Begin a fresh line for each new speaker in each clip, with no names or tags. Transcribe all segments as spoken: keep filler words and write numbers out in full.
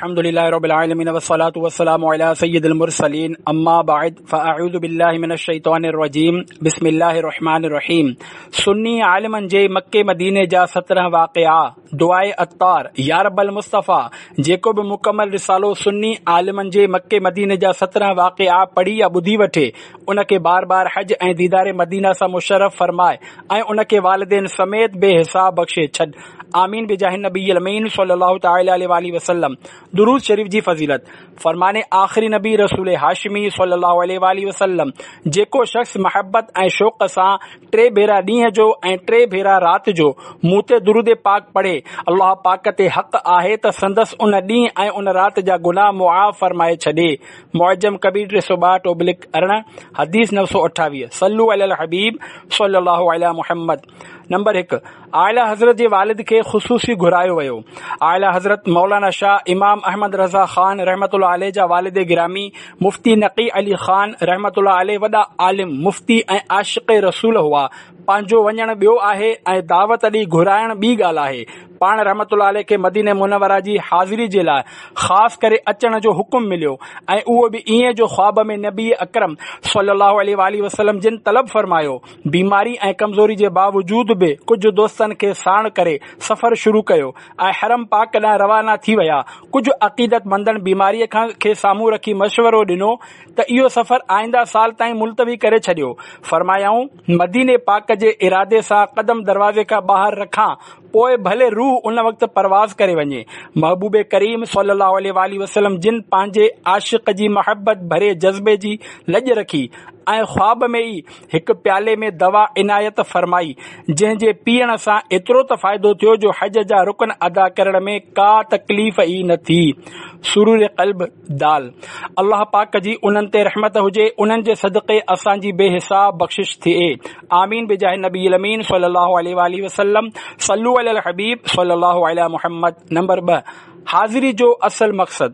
الحمد لله رب العالمين والصلاة والسلام على سيد المرسلين اما بعد فاعوذ بالله من الشيطان الرجيم بسم الله الرحمن الرحيم. سني عالمن جي مڪي مديني جا سترهن واقعا. دعاء عطار. يا رب المصطفيٰ، جيڪو به مڪمل رسالو سني عالمن جي مڪي مديني جا سترهن واقعا پڙهي يا ٻڌي وٺي، ان کي بار بار حج ۽ ديدار مدينه سان مشرف فرمائي ۽ ان کي والدين سميت بي حساب بخشي ڇڏ. آمين بجاه النبي الامين صلي الله تعالي عليه واله وسلم. درود شريف جي فضيلت. فرمان آخري نبي رسول هاشمي صلي الله عليه واله وسلم، جيڪو شخص محبت ۽ شوق سان ٽي ڀيرا ڏينهن جو ۽ ٽي ڀيرا رات جو مون تي درود پاڪ پڙهي، الله پاڪ تي حق آهي ته سندس ان ڏينهن ۽ ان رات جا گناهه معاف فرمائي ڇڏي. معجم ڪبير ٽي سؤ ٻاهٺ اوبلڪ ارڙهن، حديث نو سؤ اٺاويهه. صلو علي الحبيب صلي الله علي محمد. نمبر هڪ، اعليٰ حضرت جي والد کي خصوصي گهرايو ويو. اعليٰ حضرت مولانا شاهه امام احمد رضا خان رحمة الله عليه جا والد گرامي مفتي نقي علي خان رحمة الله عليه وڏا عالم، مفتي ۽ عاشق رسول هئا. پنهنجو وڃڻ ٻيو آهي ۽ دعوت ڏئي گهرائڻ ٻي ڳالهه آهي. پاڻ رحمة الله عليه کي مدينه منوره جي حاضري جي لاء خاص ڪري اچڻ جو حڪم مليو ۽ اهو به ائين جو خواب ۾ نبي اڪرم صلي الله عليه واله وسلم جن طلب فرمايو. بيماري ۽ ڪمزوري جي باوجود به ڪجهه دوستن کي ساڻ ڪري سفر شروع ڪيو ۽ حرم پاڪ ڏانهن روانا ٿي ويا. ڪجهه عقيدتمندن بيماريء کان کي سامهون رکي مشورو ڏنو ته اهو سفر آئنده سال تائين ملتوي ڪري ڇڏيو. فرمايائون، مديني پاڪ جي ارادي سان قدم دروازي کان ٻاهر رکان، پوء ڀلي روح ان وقت پرواز ڪري وڃي. محبوب ڪريم صلي الله عليه واله وسلم جن پنهنجي عاشق جي محبت ڀري جذبي جي لڄ رکي ۽ خواب ۾ ئي هڪ پيالي ۾ دوا عنايت فرمائي، جنهن جي پيئڻ سان ايترو ته فائدو ٿيو جو حج جا رڪن ادا ڪرڻ ۾ ڪا تڪليف ئي نه ٿي. سرور قلب دال. الله پاڪ جي انهن تي رحمت هجي، انهن جي صدقي اسان جي بي حساب بخشش ٿئي. آمين بجاه النبي الامين صلي الله عليه واله وسلم. صلو علي الحبيب صلي الله علي محمد. نمبر ٻه، حاضري جو اصل مقصد.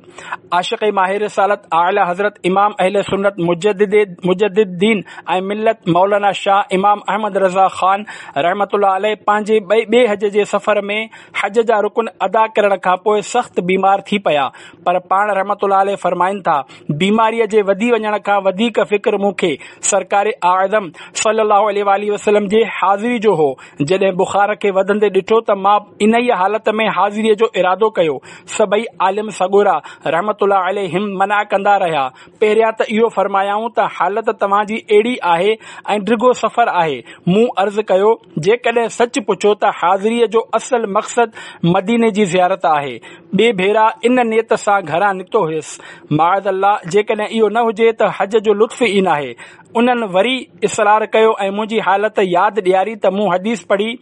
عاشق ماهر رسالت اعليٰ حضرت امام اهل سنت مجدد مجدد دين ۽ ملت مولانا شاهه امام احمد رضا خان رحمة الله عليه پنهنجي ٻئي ٻئي حج جي سفر ۾ حج جا رڪن ادا ڪرڻ کان پوء سخت بيمار ٿي پيا، پر پاڻ رحمة الله عليه فرمائن ٿا، بيماريء جي وڌي وڃڻ کان وڌيڪ فڪر مون کي سرڪار اعظم صلي الله عليه واله وسلم جي حاضري جو هو. جڏهن بخار کي وڌندي ڏٺو ته مان انهيء حالت ۾ حاضريء جو ارادو ڪيو. سڀئي عالم سڳورا رحمة الله عليهم منع ڪندا رهيا. پهريان ته اهو فرمايائون ته حالت توهان جي اهڙي آهي ۽ ڊگهو سفر آهي. مون عرض ڪيو، جيڪڏهن سچ پڇو ته حاضريء جو اصل مقصد مديني جي زيارت آهي. ٻئي ڀيرا ان نيت سان گهران نڪتو هيس. معاذ الله جيڪڏهن اهو نه هجي ته حج جو لطف ئي ناهي. انهن وري اصرار ڪيو ۽ منهنجي حالت ياد ڏياري ته مون حديث پڙهي،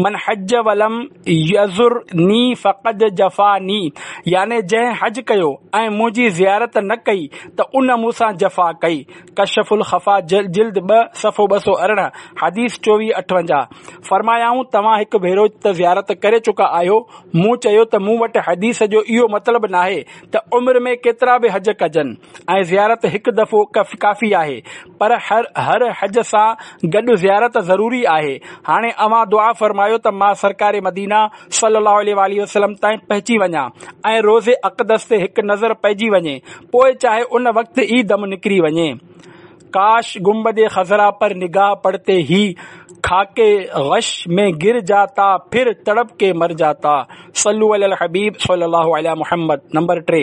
من حج ولم يزرني فقد جفاني، يعني جنهن حج ڪيو ۽ منهنجي زيارت نه ڪئي ته ان مون سان جفا ڪئي. ڪشف الخفا جلد ٻه صفحو ٻه سؤ ارڙهن، حديث چوويهه اٺونجاهه. فرمايائون، توهان هڪ ڀيرو ته زيارت ڪري چڪا آهيو. مون چيو ته مون وٽ حديث جو اهو مطلب ناهي ته عمر ۾ ڪيترا به حج ڪجن ۽ زيارت هڪ دفعو ڪافي آهي، پر هر هر حج سان گڏ زيارت ضروري آهي. هاڻي اوهان دعا فرمايو ته مان سرڪار مدينه صلي الله عليه واٰله وسلم تائين پهچي وڃان ۽ روضي اقدس تي هڪ نظر پئجي وڃي، پوء چاهي ان وقت ئي دم نڪري وڃي. ڪاش گنبد خضرا پر نگاهه پڙتي هي خاڪ غش ۾ گر جاتا پھر تڙپ ڪي مر جاتا. صلو علي الحبيب صلي الله علي محمد. نمبر ٽي،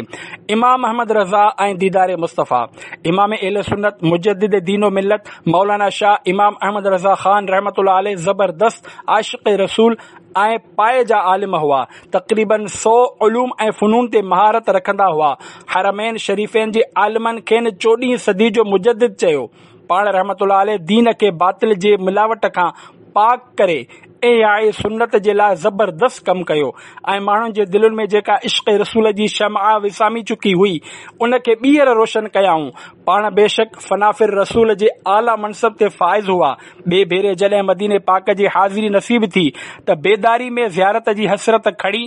امام احمد رضا ۽ ديدار مصطفيٰ. امام اهل سنت مجدد دين و ملت مولانا شاهه امام احمد رضا خان رحمة الله عليه زبردست عاشق رسول ۽ پائي جا عالم هئا. تقريباً سؤ علوم ۽ فنون تي مهارت رکندا هئا. حرمين شريفين جي عالمن کين چوڏهين صدي جو مجدد چيو. پاڻ رحمة الله عليه دين کي باطل جي ملاوٽ کان پاڪ ڪري احياء سنت جي لاء زبردست ڪم ڪيو ۽ ماڻهن جي دلين ۾ جيڪا عشق رسول جي شمع وسامي چڪي هئي ان کي ٻيهر روشن ڪيائون. پاڻ بيشڪ فنا في الرسول جي اعليٰ منصب تي فائز هئا. ٻئي ڀيري جڏهن مديني پاڪ جي حاضري نصيب ٿي ته بيداري ۾ زيارت جي حسرت کڻي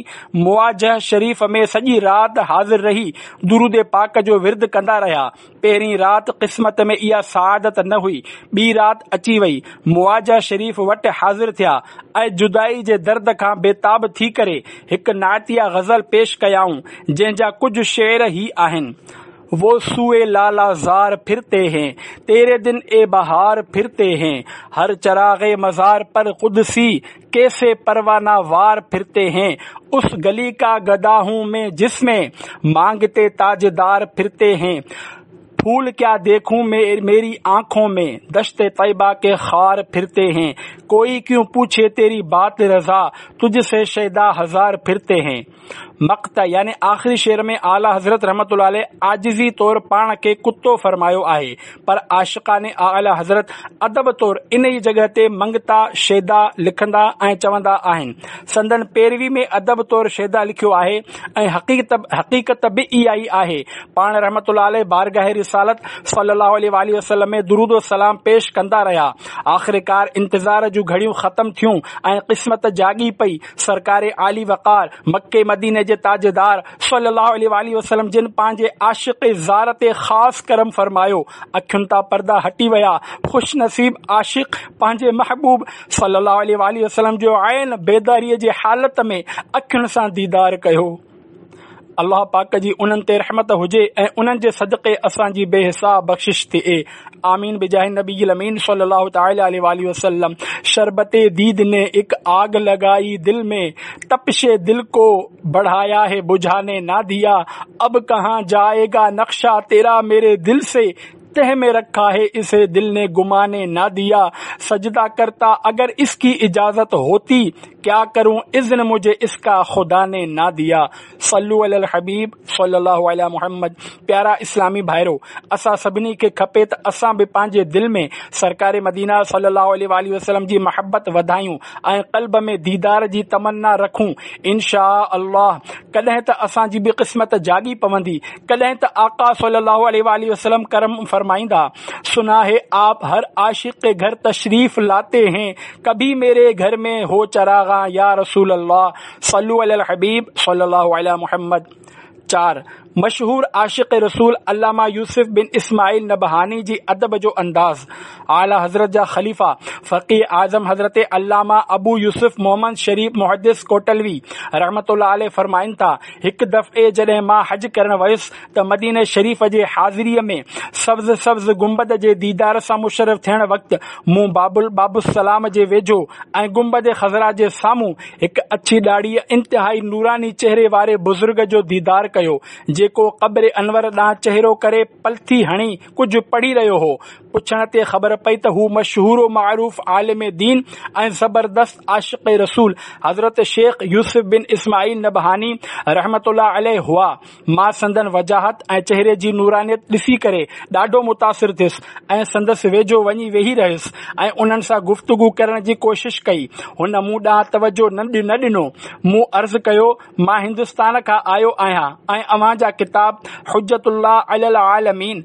مواجهه شريف ۾ سڄي رات حاضر رهي درود پاڪ جو ورد ڪندا رهيا. پهرين رات قسمت ۾ اها سعادت نه هئي، ٻي رات اچي وئي. مواجهه شريف وٽ حاضر ٿيا ۽ جدائي جي درد کان بيتاب ٿي ڪري هڪ نعتيه غزل پيش ڪيائون، جنهن جا ڪجهه شعر هي آهن. वो सुए लाला ज़ार फिरते हैं، तेरे दिन ए बहार फिरते हैं، हर चरागे मज़ार पर कुदसी कैसे परवाना वार फिरते हैं، उस गली का गदा हूँ मैं जिसमें मांगते ताजदार फिरते हैं، फूल क्या देखूं मेरी आंखों में दश्ते तैबा के खार फिरते हैं، कोई क्यों पूछे तेरी बात रजा तुझसे शैदा हजार फिरते हैं। मक़ता यानी आख़िरी शेर में आला हज़रत रहमतुल्लाह अलैह आजिज़ी तौर पाण खे कुत्तो फरमायो आहे, पर आशिक़ान आला हज़रत अदब तौर इन ई जॻह ते मंगता शैदा लिखंदा ऐं चवंदा आहिनि। संदन पैरवी में अदब तौर शैदा लिखियो आहे ऐं हक़ीक़त हक़ीक़त बि इहा ई आहे। पाण रहमतुल्लाह अलैह बारगाह रिसालत सल्लल्लाहु अलैहि वसल्लम में दुरूद व सलाम पेश कंदा रहिया। आख़िरकार इंतज़ार जूं घड़ियूं ख़त्म थियूं ऐं क़िस्मत जागी पई। सरकार आली वक़ार मक्के मदीने जे ताजदार सल्लल्लाहु अलैहि वसल्लम जिन पंहिंजे आशिक़ ज़ार ते ख़ासि करम फरमायो, अखियुनि तां पर्दा हटी विया। ख़ुश नसीब आशिक़ पंहिंजे महबूब सल्लल्लाहु अलैहि वसल्लम जो ऐन बेदारीअ जे हालत में अखियुनि सां दीदार कयो। अल्लाह पाक जी उन्हनि ते रहमत हुजे ऐं उन्हनि जे सदक़े असांजी बेहिसाब बख़्शिश थिए। आमीन बिजाह नबी अमीन सल्लल्लाहु तआला अलैहि वसल्लम। शरबते दीद ने एक आग लगाई दिल में, तपिशे दिल को बढ़ाया है बुझाने ना दिया, अब कहाँ जाएगा नक्शा तेरा मेरे दिल से, तह में रखा है इसे दिल ने गुमाने ना दिया, सजदा करता अगर इसकी इजाजत होती, क्या करूं इज़्न मुझे इसका खुदा ने ना दिया। सल्लु अलल हबीब सल्लल्लाहु अलैहि मुहम्मद। प्यारा इस्लामी भाइरो, असां सभिनी खे खपे त असां बि पंहिंजे दिल में सरकार मदीना सल्लल्लाहु अलैहि वसल्लम जी मोहब्बत वधायूं ऐं क़ल्ब में दीदार जी तमन्ना रखूं। इंशा अल्लाह कॾहिं त असांजी बि क़िस्मत जागी पवंदी, कॾहिं त आका सल्लल्लाहु अलैहि वसल्लम करम फरमाईंदा। सुना है आप हर आशिक के घर तशरीफ लाते हैं, कभी मेरे घर में हो चरागा या रसूल अल्लाह। सल्लु अलल हबीब सल्लल्लाहु अलैहि मुहम्मद। चार, मशहूर आशिक़ रसूल अल्लामा यूसुफ बिन इस्माइल नबहानी जी अदब जो अंदाज़। आला हज़रत जा ख़लीफ़ा फ़क़ीह आज़म हज़रत अल्लामा अबू यूसुफ मोहम्मद शरीफ मुहद्दिस कोटलवी रहमतुल्लाह अलैह फरमाइनि था, हिकु दफ़े जॾहिं मां हज करण वियुसि त मदीने शरीफ़ जे हाज़िरीअ में सब्ज़ सब्ज़ गुंबद जे दीदार सां मुशर्रफ़ थियण वक़्तु मूं बाबुल बाबुसलाम जे वेझो ऐं गुंबद ख़ज़रा जे साम्हूं हिकु अच्छी ॾाढ़ी इंतिहाई नूरानी चेहरे वारे बुज़ुर्ग जो दीदार कयो, जेको क़ब्र अनवर ॾांहुं चेहरो करे पलथी हणी कुझु पढ़ी रहियो हो। पुछण ते ख़बर पई त हू मशहूर मारूफ़ आलिम दीन ऐं ज़बरदस्त आशिक़ रसूल हज़रत शेख यूसुफ बिन इस्माइल नबहानी रहमतुल्लाह अलैह हुआ। मां संदन वजाहत ऐं चेहरे जी नूरानियत ॾिसी करे ॾाढो मुतासिर थियुसि ऐं संदसि वेझो वञी वेही रहियुसि ऐं उन्हनि सां गुफ़्तगू करण जी कोशिश कई। हुन मूं ॾांहुं तवजो न ॾिनो। मूं अर्ज़ कयो, मां हिंदुस्तान खां आयो आहियां ऐं अव्हां जा किताब हुज्जतुल्लाह अलल आलमीन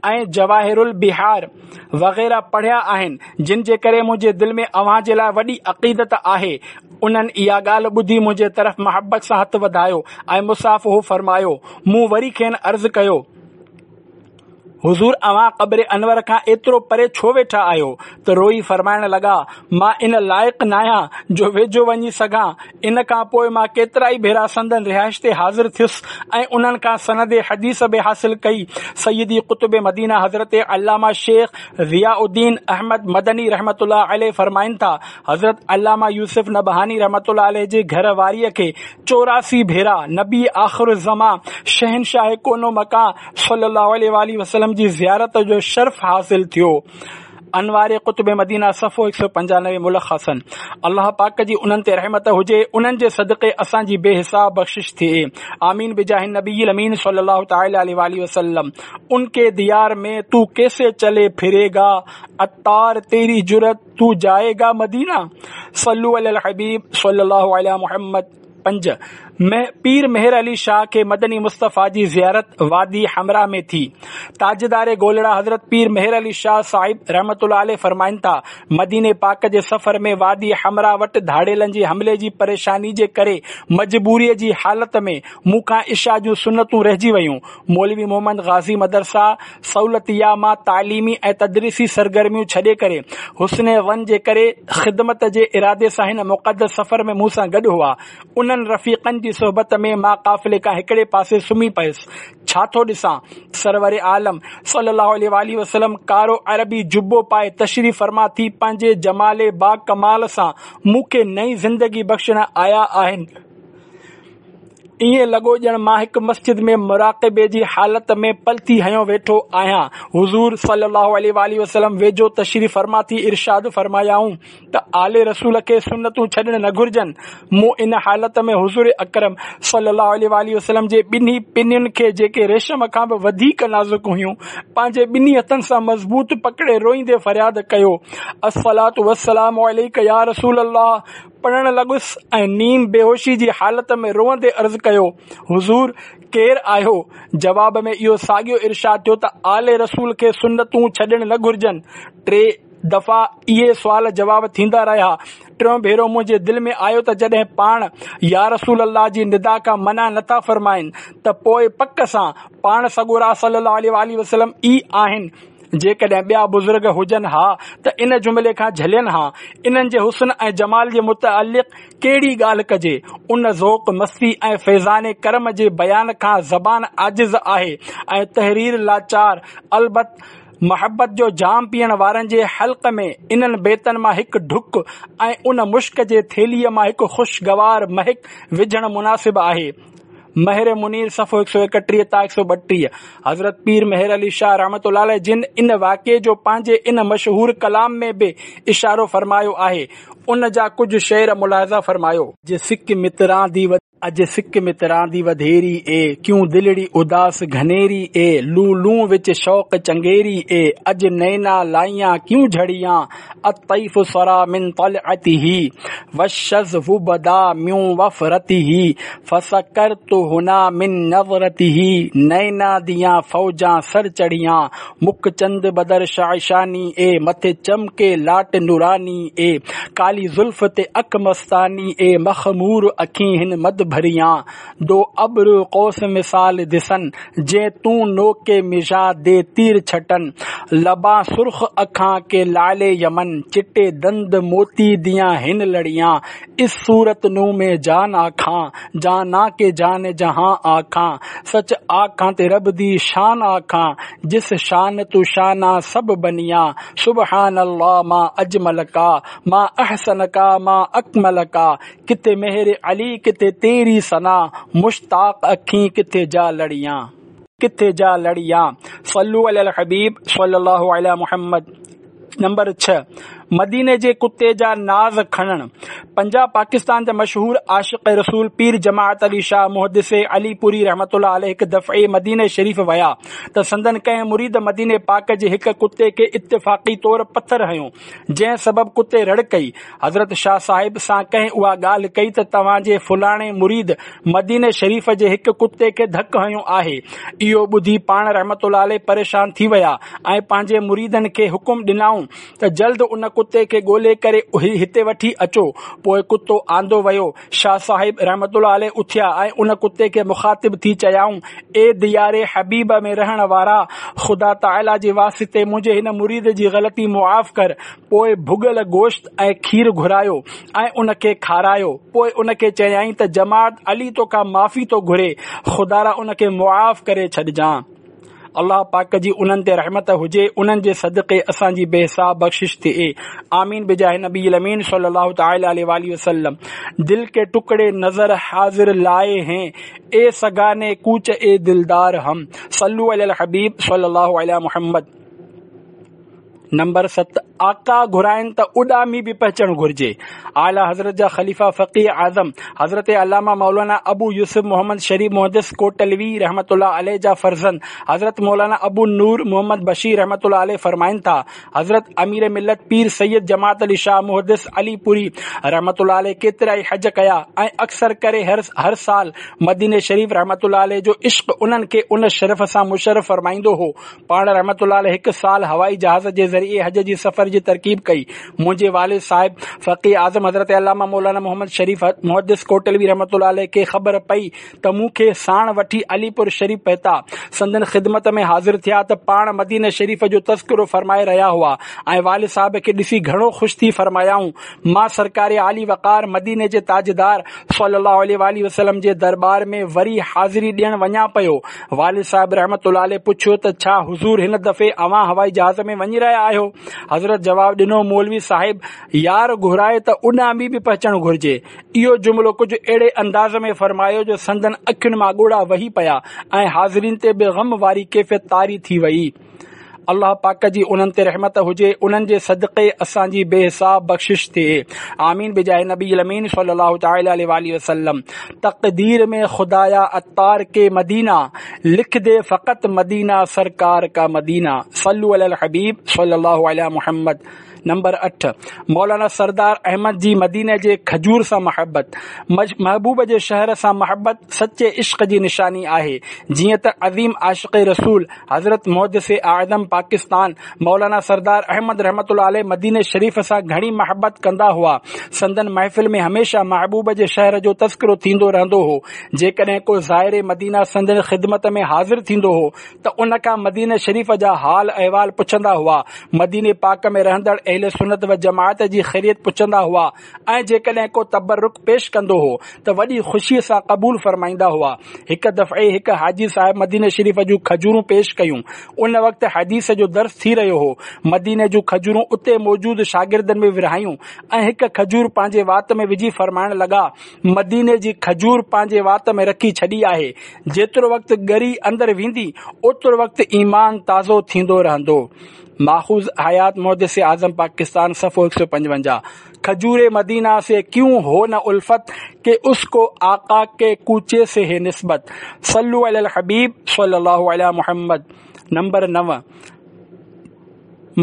ऐं जवाहिरुल बिहार वग़ैरह पढ़िया आहिनि, जिन जे करे मुंहिंजे दिलि में अव्हां जे लाइ वॾी अक़ीदत आहे। उन्हनि इहा ॻाल्हि ॿुधी मुंहिंजे तरफ़ मोहब्बत सां हथु वधायो ऐं मुसाफ़ो फरमायो। मूं वरी खेनि अर्ज़ कयो, हुज़ूर अव्हां क़ब्र अनवर खां एतिरो परे छो वेठा आहियो? त रोई फरमाइण लॻा, मां इन लाइक़ नाहियां जो वेझो वञी सघां। इन खां पोइ मां केतिरा ई भेरा संदन रिहाइश ते हाज़िर थियुसि ऐं उन्हनि खां सनद हदीस बि हासिल कई। सैयदी क़ुतुब मदीना हज़रत अल्लामा शेख ज़ियाउद्दीन अहमद मदनी रहमतुल्लाह अलैह फरमाइनि था, हज़रत अल्लामा यूसुफ नबहानी रहमतुल्लाह अलैह जे घर वारीअ खे चौरासी भेरा नबी आख़िर ज़मा शहनशाह कोनो मकान सल्लल्लाहु अलैहि वसल्लम जी ज़ियारत जो शर्फ हासिल थियो। अनवार क़ुतुब मदीना सफ़ो हिकु सौ पंजानवे मुलख़सन। अल्लाह पाक जी उन्हनि ते रहमत हुजे, उन्हनि जे सदक़े असांजी बेहिसाब बख़्शिश थिए। आमीन बिजाह नबी अमीन सल्लल्लाहु तआला अलैहि वसल्लम। उनके दियार में तू कैसे चले फिरेगा, अत्तार तेरी जुरत तू जाएगा मदीना। सल्लु अलल हबीब सल्लल्लाहु अलैहि मुहम्मद। पंज, پير مهر علي شاهه کي مدني مصطفيٰ جي زيارت وادي حمرا ۾ ٿي. تاجدار گولڙا حضرت پير مهر علي شاهه صاحب رحمة الله عليه فرمائن ٿا، مديني پاڪ جي سفر ۾ وادي حمرا وٽ ڌاڙيلن جي حملي جي پريشاني جي ڪري مجبوريء جي حالت ۾ مون کان عشاء جون سنتون رهجي ويون. مولوي محمد غازي مدرسه صولتيه مان تعليمي ۽ تدريسي سرگرميون ڇڏي ڪري حسن ظن جي ڪري خدمت جي ارادي سان هن مقدس سفر ۾ مون سان گڏ هئا. انهن رفيقن جي صحبت ۾ مان قافلي کان هڪڙي پاسي سمهي پيس. ڇا ٿو ڏسان؟ سرور عالم صلي الله عليه واٰله وسلم ڪارو عربي جبو پائي تشريف فرما ٿي پنهنجي جمال باڪمال سان مون کي نئين زندگي بخشڻ آيا آهن. ائين لڳو ڄڻ مان هڪ مسجد ۾ مراقبي جي حالت ۾ پلٿي هنيو ويٺو آهيان. حضور صلي الله عليه واٰله وسلم ويجهو تشريف فرما ٿي ارشاد فرمايائون ته آل رسول کي سنتون ڇڏڻ نه گهرجن. مون ان حالت ۾ حضور اڪرم صلي الله عليه واٰله وسلم جي ٻنهي پنين کي جيڪي ريشم کان به وڌيڪ نازڪ هيون پنهنجي ٻنهي هٿن سان مضبوط پڪڙي روئيندي فرياد ڪيو، الصلوة والسلام عليڪ يا رسول الله پڙهڻ لڳس ۽ نيم بيهوشي جي حالت ۾ روئندي عرض ڪيو، حضور! ڪير آهيو؟ جواب ۾ اهو ساڳيو ارشاد ٿيو ته آل رسول کي سنتون ڇڏڻ نه گهرجن. ٽي دفعا اهي سوال جواب ٿيندا رهيا. ٽيون ڀيرو منهنجي دل ۾ آيو ته جڏهن پاڻ يا رسول الله جي ندا کان منع نٿا فرمائن ته پوء پڪ سان پاڻ سڳورا صلي الله عليه واٰله وسلم ئي آهن. جيڪڏهن ٻيا بزرگ هجن ها ته ان جملي کان جهلين ها. انهن جي حسن ۽ جمال جي متعلق ڪهڙي ڳالهه ڪجي؟ ان ذوق، مستي ۽ فيضان ڪرم جي بيان کان زبان عاجز آهي ۽ تحرير لاچار. البت محبت جو جام پيئڻ وارن جي حلق ۾ انهن بيتن مان هڪ ڍڪ ۽ ان مشڪ جي ٿيلهيء مان هڪ خوشگوار مهڪ وجهڻ مناسب آهي. مهر منير صفحو هڪ سؤ ايڪٽيهه تا هڪ سؤ ٻٽيهه حضرت پير مهر علي شاهه رحمة الله عليه جن ان واقعي جو پنهنجي ان مشهور ڪلام ۾ به اشارو فرمايو آهي، ان جا ڪجهه شعر ملاحظه فرمايو. اڄ سڪ متران the اڄ سڪ متران the وڌيري اي، ڪيون دلڙي اداس گهنيري اي، لون لون وچ شوق چنگيري اي، اڄ نينا لائيان ڪيون جهڙيان، الطيف سرا من طلعته والشظف بدا من وفرته فسڪرت هنا من نظرته نينا ديان فوجان سر چڙهيان مک چند بدر شعشاني اي مٿي چمڪي لاٽ نوراني اي ڪالي زلف تي اک مستاني اي مخمور اکين هن مد ڀريان دو ابرو قوس مثال دسن، جين تون نوڪ ميزا the تير ڇٽن. لبان سرخ اکان ڪي لعل يمن، چٽي دند موتي ديان هن لڙيان. اس صورت نون مين جان آکان، جانان ڪي جان جهان آکان. سچ آکان تي رب the شان آکان، جس شان تون شانان سڀ بنيان. سبحان الله ما اجمل ڪا، ما احسن ڪا ما اڪمل ڪا. ڪٿي مهر علي ڪٿي تيري ثنا، مشتاق اکين ڪٿي جا لڙيان. ڪٿي جا لڙيان. صلو علي الحبيب صلي الله علي محمد. نمبر ڇهه، مديني جي ڪتي جا ناز کڻڻ. پنجاب پاڪستان جا مشهور عاشق رسول پير جماعت علي شاهه محدث علي پوري رحمة الله عليه هڪ دفعي مديني شريف ويا ته سندن ڪنهن مريد مديني پاڪ جي هڪ ڪتي کي اتفاقي طور پٿر هنيو جنهن سبب ڪتي رڙ ڪئي. حضرت شاهه صاحب سان ڪنهن اها ڳالهه ڪئي ته توهان جي فلاڻي مريد مديني شريف جي هڪ ڪتي کي ڌڪ هنيو آهي. اهو ٻڌي پاڻ رحمة الله عليه پريشان ٿي ويا ۽ پنهنجي مريدن کي حڪم ڏنائون ته جلد ان ڪتي کي ڳولي ڪري هتي وٺي اچو. پوء ڪتو آندو ويو. شاهه صاحب رحمة الله عليه اٿيا ۽ ان ڪتي کي مخاطب ٿي چيائون، اي ديار حبيب ۾ رهڻ وارا! خدا تعاليٰ جي واسطي منهنجي هن مريد جي غلطي معاف ڪر. پوء ڀڳل گوشت ۽ کير گهرايو ۽ ان کي کارايو. پوء ان کي چيائين ته جماعت علي توکان معافي ٿو گهري، خدارا ان کي معاف ڪري ڇڏجان. الله پاڪ جي انهن تي رحمت هجي، انهن جي صدقي اسان جي بي حساب بخشش ٿئي. آمين بجاه نبي الامين صلي الله تعالي عليه واٰله وسلم. دل ڪي ٽڪڙي نظر حاضر لائي هين، اي سگاني ڪوچ اي دلدار هم. صلو علي الحبيب صلي الله علي محمد. نمبر ست، آقا گهرائن ته اڏامي به پهچڻ گهرجي. اعليٰ حضرت جا خليفه فقيه اعظم حضرت علامه مولانا ابو يوسف محمد شريف محدث ڪوٽلوي رحمة الله عليه جا فرزند حضرت مولانا ابو نور محمد بشير رحمة الله عليه فرمائن ٿا، حضرت امير ملت پير سيد جماعت علي شاهه محدث علي پوري رحمة الله عليه ڪيترائي حج ڪيا ۽ اڪثر ڪري هر هر سال مديني شريف رحمة الله عليه جو عشق انهن کي ان شرف سان مشرف فرمائيندو هو. پاڻ رحمة الله عليه هڪ سال هوائي جهاز جي ذريعي حج جي سفر جي ترڪيب ڪئي. منهنجي والد صاحب فقيه اعظم حضرت علامه مولانا محمد شريف محدث ڪوٽلوي رحمة الله عليه کي خبر پئي ته مون کي ساڻ وٺي علي پور شريف پهتا. سندن خدمت ۾ حاضر ٿيا ته پاڻ مديني شريف جو تذڪرو فرمائي رهيا هئا ۽ والد صاحب کي ڏسي گهڻو خوش ٿي فرمايائون، مان سرڪار عالي وقار مديني جي تاجدار صلي الله عليه واٰله وسلم جي درٻار ۾ وري حاضري ڏيڻ وڃان پيو. والد صاحب رحمة الله عليه پڇيو ته ڇا حضور هن دفعي اوهان هوائي جهاز ۾ وڃي رهيا آهيو؟ حضرت جواب ڏنو، مولوي صاحب يار گهرائي ته اڏامي به پهچڻ گهرجي. اهو جملو ڪجهه اهڙي انداز ۾ فرمايو جو سندن اکين مان ڳوڙها وهي پيا ۽ حاضرين تي به غم واري ڪيفيت طاري ٿي وئي. الله پاڪ جي انهن تي رحمت هجي، انهن جي صدقي اسان جي بي حساب بخشش ٿئي. آمين بجاه نبي الامين صلي الله تعالي عليه واٰله وسلم. تقدير ۾ خدايا عطار ڪي مدينه لک the فقط مدينه سرڪار ڪا مدينه صلو علي الحبيب صلي الله علي محمد. نمبر اٺ، مولانا سردار احمد جي مديني جي کجور سان محبت. محبوب جي شهر سان محبت سچي عشق جي نشاني آهي. جيئن ته عظيم عاشق رسول حضرت محدث اعظم پاڪستان مولانا سردار احمد رحمة الله عليه مديني شريف سان گهڻي محبت ڪندا هئا. سندن محفل ۾ هميشه محبوب جي شهر جو تذڪرو ٿيندو رهندو هو. جيڪڏهن ڪو زائر مدينه سندن خدمت ۾ حاضر ٿيندو هو ته ان کان مديني شريف جا حال احوال پڇندا هئا. مديني پاڪ ۾ رهندڙ اهل سنت و جماعت جي خيريت پڇندا هئا ۽ جيڪڏهن ڪو تبرڪ پيش ڪندو هو ته وڏي خوشيء سان قبول فرمائيندا هئا. هڪ دفعي هڪ حاجي صاحب مديني شريف جون کجورون پيش ڪيون. ان وقت حديث جو درس ٿي رهيو هو. مديني جون کجورون اتي موجود شاگردن ۾ ورهايون ۽ هڪ کجور پنهنجي وات ۾ وجهي فرمائڻ لڳا، مديني جي کجور پنهنجي وات ۾ رکي ڇڏي آهي، جيترو وقت ڳري اندر ويندي، اوترو وقت ايمان تازو ٿيندو رهندو. ماخوذ حيات محدث اعظم پاڪستان صفحو هڪ سؤ پنجونجاهه. کجور مدينه سي ڪيون هو نه الفت ڪي اس ڪو آقا ڪي ڪوچي سي هي نسبت صلو علي الحبيب صلي الله علي محمد. نمبر نو،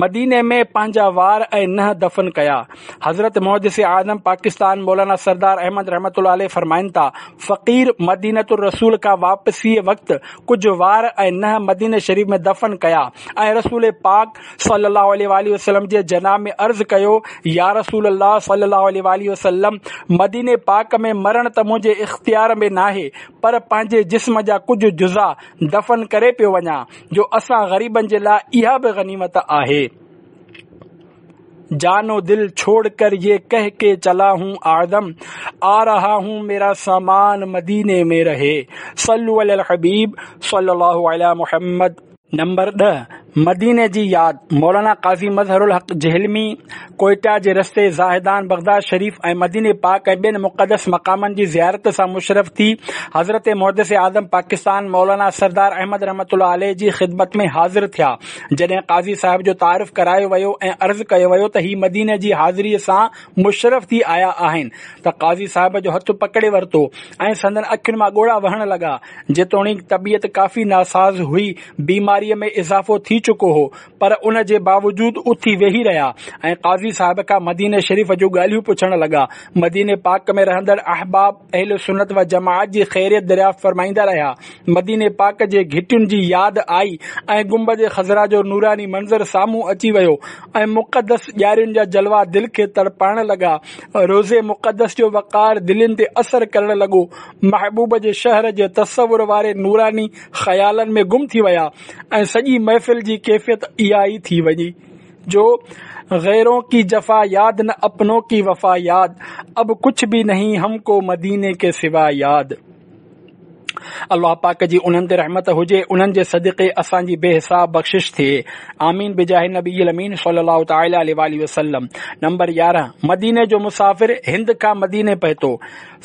مديني ۾ پنهنجا وار ۽ ننهن دفن ڪيا. حضرت محدث اعظم پاڪستان مولانا سردار احمد رحمة الله عليه فرمائن ٿا، فقير مدينة الرسول کان واپسيء وقت ڪجهه وار ۽ ننهن مديني شريف ۾ دفن ڪيا ۽ رسول پاڪ صلي الله عليه واٰله وسلم جي جناب ۾ عرض ڪيو، يا رسول الله صلي الله عليه واٰله وسلم! مديني پاڪ ۾ مرڻ ته منهنجي اختيار ۾ ناهي، پر پنهنجي جسم جا ڪجهه جزا دفن ڪري پيو وڃان، جو اسان غريبن جي لاء اها به غنيمت آهي. جان و دل ڇوڙ ڪر يه ڪهه ڪي چلا هون اعظم آ رها هون ميرا سامان مديني ۾ رهي صلو علي الحبيب صلي الله علي محمد. نمبر ڏهه، مديني جي ياد، مولانا قاضي مظهر الحق جهلمي ڪوئيٽا جي رستي زاهدان، بغداد شريف ۽ مديني پاڪ ۽ ٻين مقدس مقامن جي زيارت سان مشرف ٿي حضرت محدث اعظم پاڪستان مولانا سردار احمد رحمة الله عليه جي خدمت ۾ حاضر ٿيا. جڏهن قاضي صاحب جو تعارف ڪرايو ويو ۽ عرض ڪيو ويو ته هي مديني جي حاضريء سان مشرف ٿي آيا آهن ته قاضي صاحب جو هٿ پڪڙي ورتو ۽ سندن اکين مان ڳوڙها وهڻ لڳا. جيتوڻيڪ طبيعت ڪافي ناساز هئي، بيماريء ۾ اضافو ٿي چڪو هو، پر ان جي باوجود اٿي ويهي رهيا ۽ قاضي صاحب کان مديني شريف جون ڳالهيون پڇڻ لڳا. مديني پاڪ ۾ رهندڙ احباب اهل سنت و جماعت جي خيريت دريافت فرمائيندا رهيا. مديني پاڪ جي گهٽين جي ياد آئي ۽ گنبد خضرا جو نوراني منظر سامهون اچي ويو ۽ مقدس ڄارين جا جلوا دل کي تڙپائڻ لڳا. روضي مقدس جو وقار دلين تي اثر ڪرڻ لڳو. محبوب جي شهر جي تصور واري نوراني خيالن ۾ گم ٿي ويا ۽ سڄي محفل جي ڪيفيت اها ئي ٿي وڃي جو غيرون ڪي جفا ياد نه اپنون ڪي وفا ياد اب ڪڇ ڀي نهين هم ڪو مديني ڪي سوا ياد. الله پاڪ جي انهن تي رحمت هجي انهن جي صدقي اسان جي بي حساب بخشش ٿئي آمين بجاه النبي الامين صلي الله تعالي عليه واٰله وسلم. نمبر يارهن، مديني جو مسافر هند کان مديني پهتو.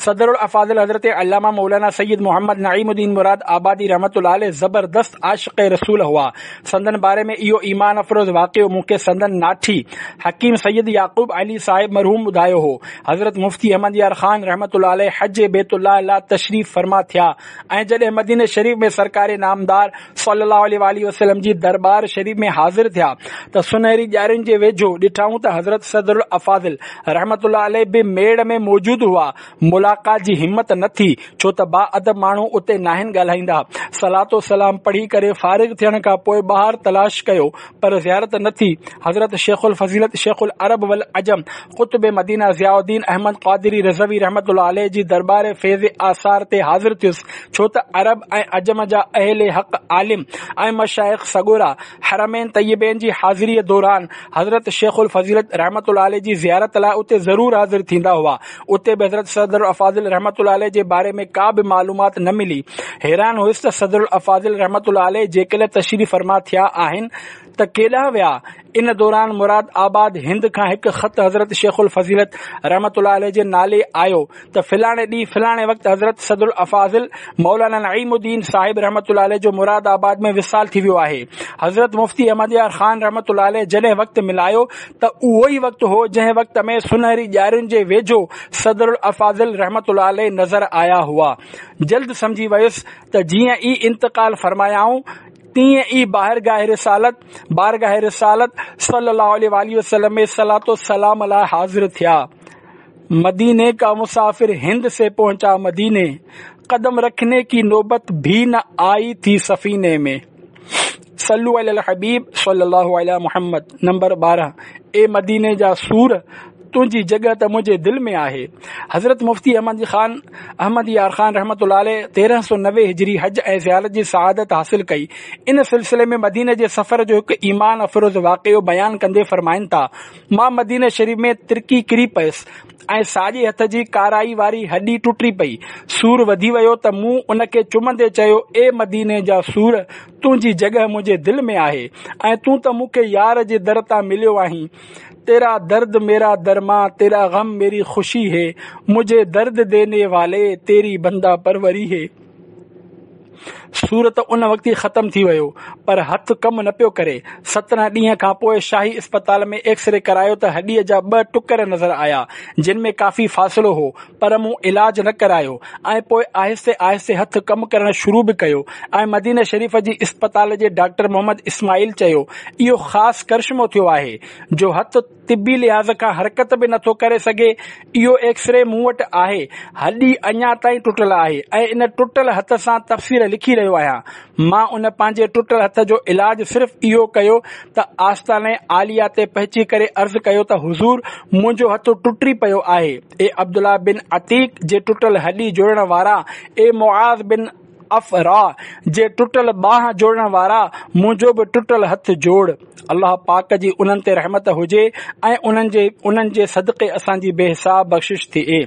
صدر الافاضل حضرت علامه مولانا سيد محمد نعيم الدين مراد آبادي رحمة الله عليه زبردست عاشق رسول هئا. سندن باري ۾ اهو ايمان افروز واقعو مون کي سندن ناٺي حڪيم سيد يعقوب علي صاحب مرحوم ٻڌايو هو. حضرت مفتي احمد يار خان رحمة الله عليه حج بيت الله لاء تشريف فرما ٿيا ۽ جڏهن مديني شريف ۾ سرڪار نامدار صلي الله عليه وآله وسلم جي دربار شريف ۾ حاضر ٿيا ته سنهري ڄارين جي ويجهو ڏٺائون ته حضرت صدر الافاضل رحمة الله عليه به ميڙ ۾ موجود هئا. ملاقات جي همت نه ٿي، ڇو ته با ادب ماڻهو اتي ناهن ڳالهائيندا. صلوة و سلام پڙهي ڪري فارغ ٿيڻ کان پوء ٻاهر تلاش ڪيو پر زيارت نه ٿي. حضرت شيخ الفضيلت شيخ العرب والعجم قطب مدينه ضياء الدين احمد قادري رضوي رحمة الله عليه جي دربار فيض آثار تي حاضر ٿيس، ڇو ته عرب ۽ عجم جا اهل حق عالم ۽ مشائخ سڳورا حرمين طيبين جي حاضريء دوران حضرت شيخ الفضيلت رحمة الله عليه جي زيارت لاء اتي ضرور حاضر ٿيندا هئا. اتي به حضرت صدر الافاضل رحمة الله عليه جي باري ۾ ڪا به معلومات نه ملي. حيران هيس ته صدر الافاضل رحمة الله عليه جيڪڏهن تشريف فرما ٿيا آهن ته ڪيڏانهن ويا؟ ان دوران مراد آباد هند کان هڪ خط حضرت شيخ الفضيلت رحمة الله عليه جي نالي آيو ته فلاڻي ڏينهن فلاڻي وقت حضرت صدر الافاضل مولانا نعيم الدين صاحب رحمة الله عليه جو مراد آباد ۾ وصال ٿي ويو آهي. حضرت مفتي احمد يار خان رحمة الله عليه جڏهن وقت ملايو ته اهو ئي وقت هو جنهن وقت ۾ سنهري ڄارين جي ويجهو صدر الافاضل رحمة الله عليه نظر آيا هئا. جلد سمجهي ويس ته جيئن ئي انتقال فرمايائون تيئن ئي بارگاهه رسالت بارگاهه رسالت صلي الله عليه واٰله وسلم ۾ صلوة و سلام لاء حاضر ٿيا. مديني کا مسافر هند سي پهچا مديني، قدم رکني ڪي نوبت ڀي نه آئي ٿي سفيني ۾. صلو علي الحبيب صلي الله علي محمد. نمبر ٻارهن، اي مديني جا سور، تنهنجي جڳهه ته منهنجي دل ۾ آهي. حضرت مفتي احمد خان احمد يار خان رحمة الله عليه تيرهن سؤ نوي هجري حج ۽ زيارت جي سعادت حاصل ڪئي. ان سلسلي ۾ مديني جي سفر جو هڪ ايمان افروز واقعو بيان ڪندي فرمائن ٿا، مان مديني شريف ۾ ترڪي ڪري پيس ۽ ساڄي هٿ جي ڪارائي واري هڏي ٽٽي پئي. سور وڌي ويو ته مون ان کي چمندي چيو، اي مديني جا سور، تنهنجي جڳهه منهنجي دل ۾ آهي ۽ تون ته مون کي يار جي در تان مليو آهين. تيرا درد ميرا درمان، تيرا غم ميري خوشي هي، مجهي درد ديني والي، تيري بنده پروري هي. سور ته ان وقت ئي ختم ٿي ويو پر هٿ ڪم نه پيو ڪري. سترهن ڏينهن کان پوء شاهي اسپتال ۾ ايڪسري ڪرايو ته هڏيء جا ٻه ٽڪر نظر آيا، جن ۾ ڪافي فاصلو هو، پر مون علاج نه ڪرايو ۽ پوء آهستي آهستي هٿ ڪم ڪرڻ شروع به ڪيو ۽ مديني شريف جي اسپتال جي ڊاڪٽر محمد اسماعيل چيو، اهو خاص ڪرشمو ٿيو آهي جو هٿ طبي لحاظ کان حرڪت به نٿو ڪري سگهي، اهو ايڪسري مون وٽ آهي، هڏي اڃا تائين ٽٽل آهي ۽ ان ٽٽل هٿ سان تفسير لکي رهيو آهيان. مان ان پنهنجي ٽٽل هٿ جو علاج صرف اهو ڪيو ته آستانه عاليه تي پهچي ڪري عرض ڪيو ته حضور منهنجو هٿ ٽٽي پيو آهي، اي عبدالله بن عتيق جي ٽٽل هڏي جوڙڻ وارا، اي معاذ بن عفراء جي ٽٽل ٻانهن جوڙڻ وارا، منهنجو به ٽٽل هٿ جوڙ. الله پاڪ جي انهن تي رحمت هجي ۽ انهن جي انهن جي صدقي اسان جي بي حساب بخشش ٿئي.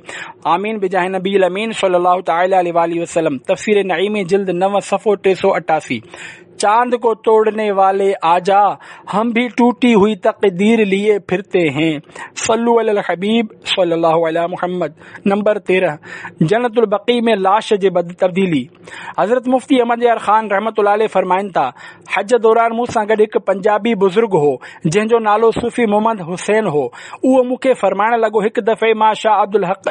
آمين بجاه نبي الامين صلي الله تعالي عليه واٰله وسلم. تفسير نعيمي جلد نو صفحو ٽي سؤ اٺاسي. چاند ڪو توڙني والي آجا، هم ڀي ٽوٽي هئي تقدير ليئي ڦرتي هين. صلو علي الحبيب صلي الله علي محمد. نمبر تيرهن، جنت البقيع ۾ لاش جي تبديلي. حضرت مفتي احمد يار خان رحمة الله عليه فرمائن ٿا، حج دوران مون سان گڏ هڪ پنجابي بزرگ هو، جنهن جو نالو صوفي محمد حسين هو. اهو مون کي فرمائڻ لڳو، هڪ دفعي مان شاهه عبدالحق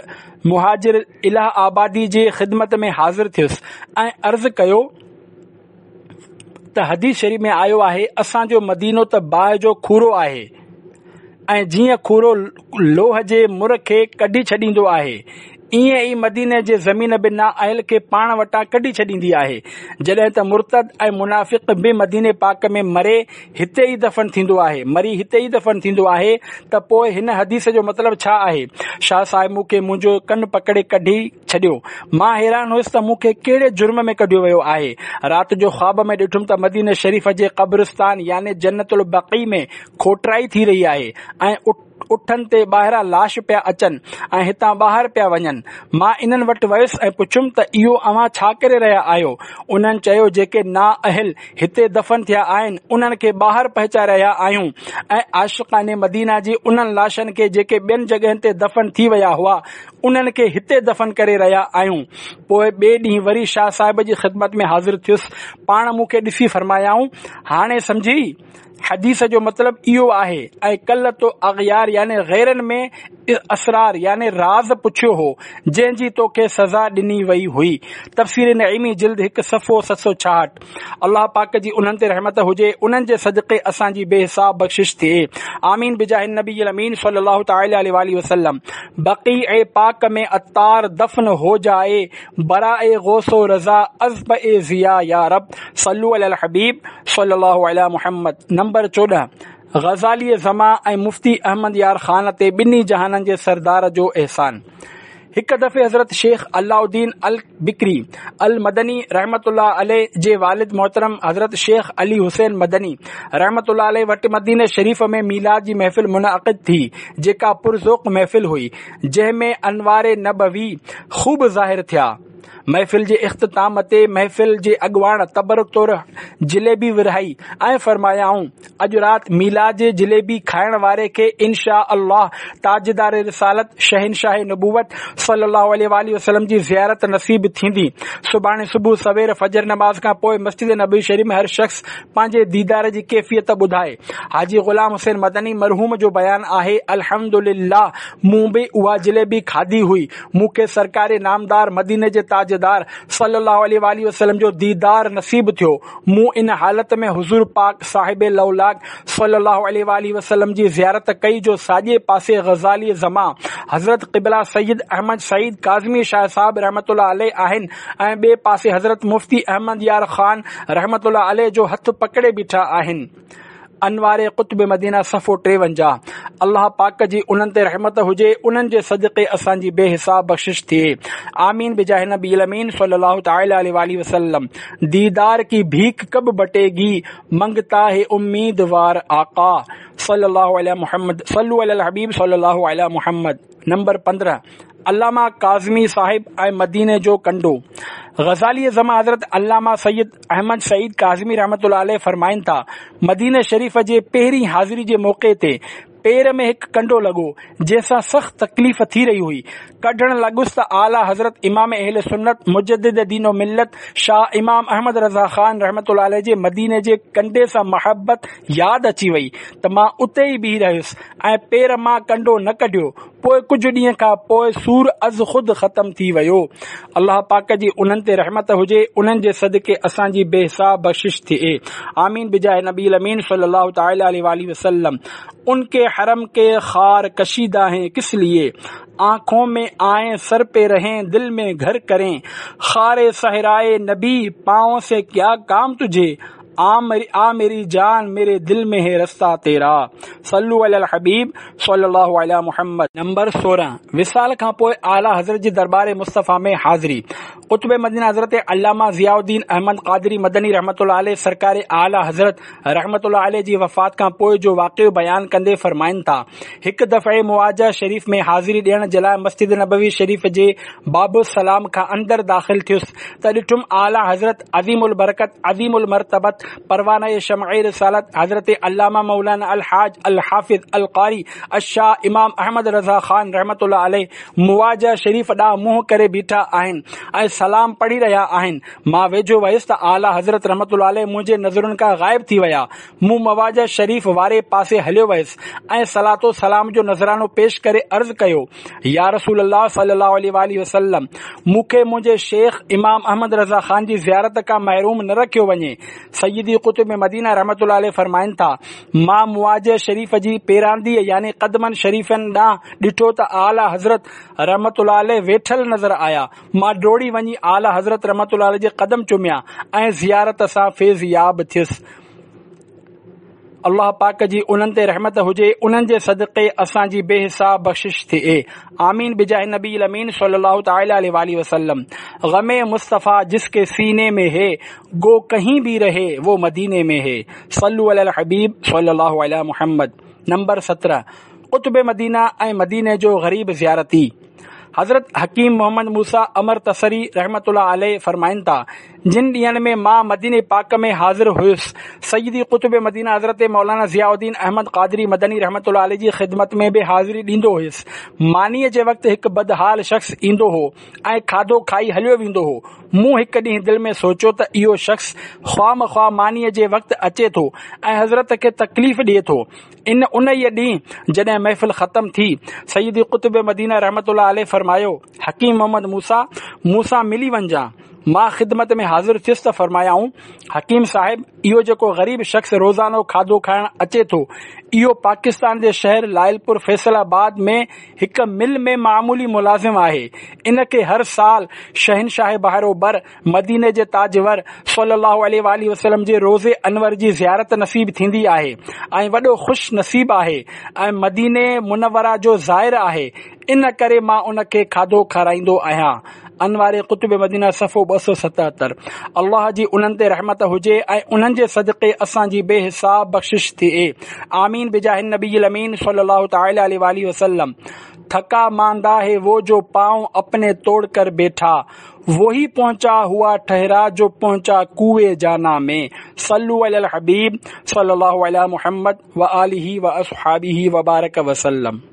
مهاجر الهه آبادي جي خدمت ۾ حاضر ٿيس ۽ عرض ڪيو ته حديث شريف ۾ آيو آهي، اسان جو مدينو ته باهه جو کورو آهي ۽ جيئن کورو لوهه جي مر کي ڪڍي ڇڏيندو آهي، ائين ئي مديني جي زمين به نااهل کي پاڻ وٽان ڪڍي ڇڏيندي آهي. جڏهن ته مرتد ۽ منافق به مديني پاڪ ۾ مري هتي ئي دفن ٿيندو آهي، مري هتي ئي دفن ٿيندو آهي ته پوء هن حديث جو مطلب ڇا آهي؟ شاهه صاحب مون کي منهنجو ڪن پڪڙي ڪڍي ڇڏيو. مان حيران هيس ته مون کي ڪهڙي جرم ۾ ڪڍيو ويو آهي. رات جو خواب ۾ ڏٺم ته مديني شريف جي قبرستان يعني جنت البقيع ۾ کوٽرائي ٿي رهي آهي ۽ اٺن تي ٻاهران لاش پيا اچن ۽ هتان ٻاهر پيا وڃن. مان انهن وٽ ويس ۽ پڇيم ته اهو اوهان ڇا ڪري رهيا آهيو؟ انهن چيو جيڪي نااهل هتي دفن ٿيا آهن انهن کي ٻاهر پهچائي رهيا آهيون ۽ عاشقان مدينه جي انهن لاشن کي جيڪي ٻين جڳهين تي دفن ٿي ويا هئا انهن کي هتي دفن ڪري رهيا آهيون. پوء ٻئي ڏينهن وري شاهه صاحب جي خدمت ۾ حاضر ٿيس. پاڻ مون کي ڏسي فرمايائون، هاڻي سمجهي؟ حديث جو مطلب اهو آهي ۽ ڪل تو اغيار يعني غيرن ۾ اسرار يعني راز پڇيو هو، جنهن جي توکي سزا ڏني وئي هئي. تفسير نعيمي جلد هڪ صفحو ست سؤ ڇاهٺ. الله پاڪ جي انهن تي رحمت هجي، انهن جي صدقي اسان جي بي حساب بخشش ٿئي. آمين بجاه النبي الامين صلي الله تعالي عليه واله وسلم. بقيع پاڪ ۾ عطار دفن هو جائي، براء غوث و رضا عذب ضياء يا رب. صلو علي الحبيب صلي الله علي محمد. نمبر چوڏهن، غزالي زمان ۽ مفتي احمد يار خان تي ٻنهي جهانن جي سردار جو احسان. هڪ دفعي حضرت شيخ علاؤالدين البڪري المدني رحمت الله عليه جي والد محترم حضرت شيخ علي حسين مدني رحمت الله عليه وٽ مديني شريف ۾ ميلاد جي محفل منعقد ٿي، جيڪا پرذوق محفل هئي، جنهن ۾ انوار نبوي خوب ظاهر ٿيا. محفل جي اختتام تي محفل جي اڳواڻ تبرڪ طور جليبي ورهائي ۽ فرمايائون، اڄ رات ميلاد جي جليبي کائڻ واري کي انشاء الله تاجدار رسالت شهنشاهه نبوت صلي الله عليه واله وسلم جي زيارت نصيب ٿيندي. سڀاڻي صبح سوير فجر نماز کان پوء مسجد نبوي شريف ۾ هر شخص پنهنجي ديدار جي ڪيفيت ٻڌائي. حاجي غلام حسين مدني مرحوم جو بيان آهي، الحمدلله مون به اها جليبي کاڌي هئي، مون کي سرڪار نامدار مديني جي تاجدار صلي الله عليه واله وسلم جو ديدار نصيب ٿيو. مون ان حالت ۾ حضور پاڪ صاحب لولاڪ صلي الله عليه واله وسلم جي زيارت ڪئي جو ساڄي پاسي غزالي زمان حضرت قبله سيد احمد سعيد ڪاظمي شاهه صاحب رحمة الله عليه آهن ۽ ٻئي پاسي حضرت مفتي احمد يار خان رحمة الله عليه جو هٿ پڪڙي بيٺا آهن. انوار قطب مدينه صفحو ٽيونجاهه. الله پاڪ جي انهن تي رحمت هجي، انهن جي صدقي اسان جي بي حساب بخشش ٿئي. آمين بجاه نبي الامين صلي الله تعالي عليه واله وسلم. ديدار ڪي ڀيک ڪب بٽي گي، منگتا هي اميدوار آقا صلي الله عليه محمد. صلو علي الحبيب صلي الله عليه محمد. نمبر پندرهن، علامه ڪاظمي صاحب ۽ مديني جو ڪنڊو. غزالي زمان حضرت علامه سيد احمد سعيد ڪاظمي رحمة الله عليه فرمائن ٿا، مديني شريف جي پهرين حاضري جي موقعي تي پير ۾ هڪ ڪنڊو لڳو، جنهن سان سخت تڪليف ٿي رهي هئي. ڪڍڻ لڳس ته اعليٰ حضرت امام اهل سنت مجدد دين و ملت شاهه امام احمد رضا خان رحمة الله عليه جي مديني جي ڪنڊي سان محبت ياد اچي وئي ته مان اتي ئي بيهي رهيس ۽ پير مان ڪنڊو نه ڪڍيو. پوء ڪجهه ڏينهن کان پوء سور از خود ختم ٿي ويو. الله پاڪ جي انهن تي رحمت هجي، انهن جي صدقي اسان جي بي حساب بخشش ٿئي. آمين بجاه نبي الامين صلي الله تعالي عليه واله وسلم. ان ڪي حرم ڪي خار ڪشيده هين ڪس ليي، آنکون مين آئين سر پي رهين دل مين گهر ڪرين، خار صحرائي نبي پائون سي ڪيا ڪام تجهي، آ ميري جان ميري دل مين هي رستا تيرا. صلو علي الحبيب صلي الله علي محمد. نمبر سورهن، وصال کان پوء اعليٰ حضرت جي درٻار مصطفيٰ ۾ حاضري. قطب مدينه حضرت علامه ضياء الدين احمد قادري مدني رحمة الله عليه سرڪار اعليٰ حضرت رحمة الله عليه جي وفات کان پوء جو واقعو بيان ڪندي فرمائن ٿا، هڪ دفعي مواجهه شريف ۾ حاضري ڏيڻ جي لاء مسجد نبوي شريف جي باب السلام کان اندر داخل ٿيس ته ڏٺم اعليٰ حضرت عظيم البرڪت عظيم المرتبت پروانه شمع رسالت حضرت علامه مولانا الحاج الحافظ القاري الشاهه امام احمد رضا خان رحمة الله عليه مواجهه شريف ڏانهن منهن ڪري بيٺا آهن ۽ سلام پڙهي رهيا آهن. مان ويجهو ويس ته اعليٰ حضرت رحمة الله عليه منهنجي نظرن کان غائب ٿي ويا. مون مواجهه شريف واري پاسي هليو ويس ۽ صلوة و سلام جو نذرانو پيش ڪري عرض ڪيو، يا رسول الله صلي الله عليه واٰله وسلم! مون کي منهنجي شيخ امام احمد رضا خان جي زيارت کان محروم نه رکيو وڃي. سيدي قطب مدينه رحمة الله عليه فرمائن ٿا، مان مواجهه شريف جي پيرانديء يعني قدمن شريفن ڏانهن ڏٺو ته اعليٰ حضرت رحمة الله عليه ويٺل نظر آيا. مان ڊوڙي وڃي اعليٰ حضرت رحمة الله عليه جي قدم چميا ۽ زيارت سان فيض ياب ٿيس. الله پاڪ جي انهن تي رحمت هجي، انهن جي صدقي اسان جي بي حساب بخشش ٿئي. آمين بجاه النبي الامين صلي الله تعالي عليه واٰله وسلم. غم مصطفيٰ جس ڪي سيني ۾ هي، گو ڪهين ڀي رهي وو مديني ۾ هي. صلو علي الحبيب صلي الله علي محمد. نمبر سترهن، قطب مدينه ۽ مديني جو غريب زيارتي. حضرت حڪيم محمد موسيٰ امر تسري رحمة الله عليه فرمائن ٿا، جن ڏينهن ۾ مان مديني پاڪ ۾ حاضر هيس، سيدي قطب مدينه حضرت مولانا ضياء الدين احمد قادري مدني رحمة الله عليه جي خدمت ۾ به حاضري ڏيندو هيس. مانيء جي وقت هڪ بدحال شخص ايندو هو ۽ کاڌو کائي هليو ويندو هو. مون هڪ ڏينهن دل ۾ سوچيو ته اهو شخص خوامخواه مانيء جي وقت اچي ٿو ۽ حضرت کي تڪليف ڏئي ٿو. ان انهيء ڏينهن جڏهن محفل ختم ٿي، سيدي قطب مدينه رحمة الله عليه فرمايو، حڪيم محمد موسيٰ! مون سان ملي وڃجان. مان خدمت ۾ حاضر ٿيس ته فرمايائون، حڪيم صاحب! اهو جيڪو غريب شخص روزانو کاڌو کائڻ اچي ٿو، اهو پاڪستان جي شهر لائلپور فيصل آباد ۾ هڪ مل ۾ معمولي ملازم آهي. ان کي هر سال شهنشاهه بحر و بر، مديني جي تاجور صلّي اللّٰه عليه واٰله وسلّم جي روضي انور جي زيارت نصيب ٿيندي آهي ۽ وڏو خوش نصيب آهي ۽ مديني منوره جو زائر آهي ان ڪري مان ان کي کاڌو کارائيندو آهيان. انوار قطب مدينه صفحو ٻه سؤ ستهتر. الله جي انهن تي رحمت هجي ۽ انهن جي صدقي اسان جي بي حساب بخشش ٿئي. آمين بجاه النبي الامين صلّي اللّٰه تعالٰي عليه واٰله وسلّم. ٿڪا ماندا هي وو جو پائون اپني توڙ ڪر بيٺا. وهي پهچا هوا ٺهرا جو پهچا ڪوئي جانا ۾. صلو علي الحبيب صلي الله علي محمد وآله واصحابه وبارڪ وسلم.